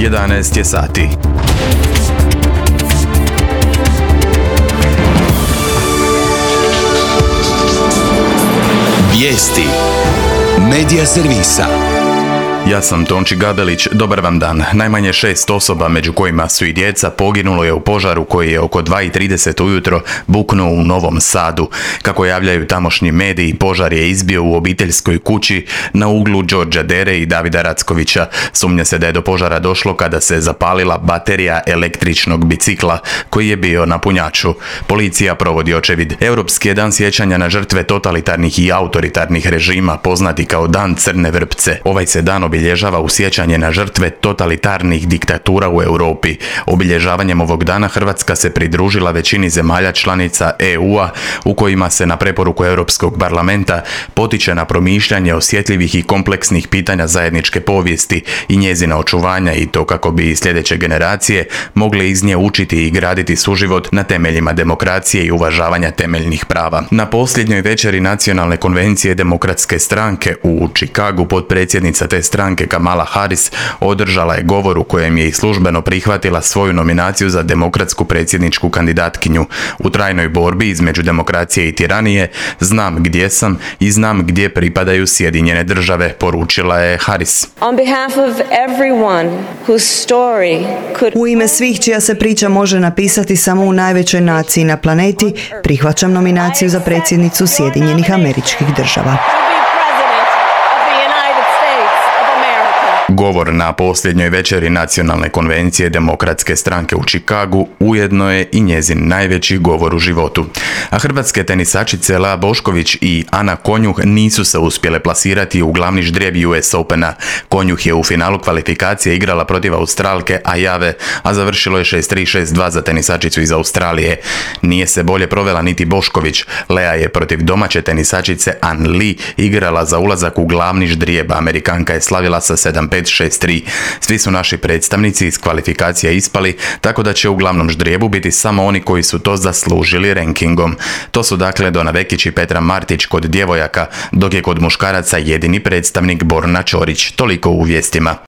11 je sati. Vijesti Medija servisa. Ja sam Tonči Gabelić, dobar vam dan. Najmanje 6 osoba, među kojima su i djeca, poginulo je u požaru koji je oko 2:30 ujutro buknuo u Novom Sadu. Kako javljaju tamošnji mediji, požar je izbio u obiteljskoj kući na uglu Đorđa Dere i Davida Rackovića. Sumnja se da je do požara došlo kada se zapalila baterija električnog bicikla koji je bio na punjaču. Policija provodi očevid. Europski je dan sjećanja na žrtve totalitarnih i autoritarnih režima, poznati kao Dan Crne vrpce. Ovaj se dan obilježava u sjećanje na žrtve totalitarnih diktatura u Europi. Obilježavanjem ovog dana Hrvatska se pridružila većini zemalja članica EU-a u kojima se na preporuku Europskog parlamenta potiče na promišljanje osjetljivih i kompleksnih pitanja zajedničke povijesti i njezina očuvanja, i to kako bi sljedeće generacije mogle iz nje učiti i graditi suživot na temeljima demokracije i uvažavanja temeljnih prava. Na posljednjoj večeri Nacionalne konvencije Demokratske stranke u Chicagu potpredsjednica te stranke Kamala Harris održala je govor u kojem je i službeno prihvatila svoju nominaciju za demokratsku predsjedničku kandidatkinju. U trajnoj borbi između demokracije i tiranije znam gdje sam i znam gdje pripadaju Sjedinjene države, poručila je Harris. U ime svih čija se priča može napisati samo u najvećoj naciji na planeti, prihvaćam nominaciju za predsjednicu Sjedinjenih Američkih Država. Govor na posljednjoj večeri Nacionalne konvencije Demokratske stranke u Chicagu ujedno je i njezin najveći govor u životu. A hrvatske tenisačice Lea Bošković i Ana Konjuh nisu se uspjele plasirati u glavni ždrijeb US Opena. Konjuh je u finalu kvalifikacije igrala protiv Australke Ajave, a završilo je 6-3, 6-2 za tenisačicu iz Australije. Nije se bolje provela niti Bošković. Lea je protiv domaće tenisačice An Li igrala za ulazak u glavni ždrijeb. Amerikanka je slavila sa 7-5, 6-3. Svi su naši predstavnici iz kvalifikacija ispali, tako da će u glavnom ždrijebu biti samo oni koji su to zaslužili rankingom. To su dakle Dona Vekić i Petra Martić kod djevojaka, dok je kod muškaraca jedini predstavnik Borna Ćorić. Toliko u vijestima.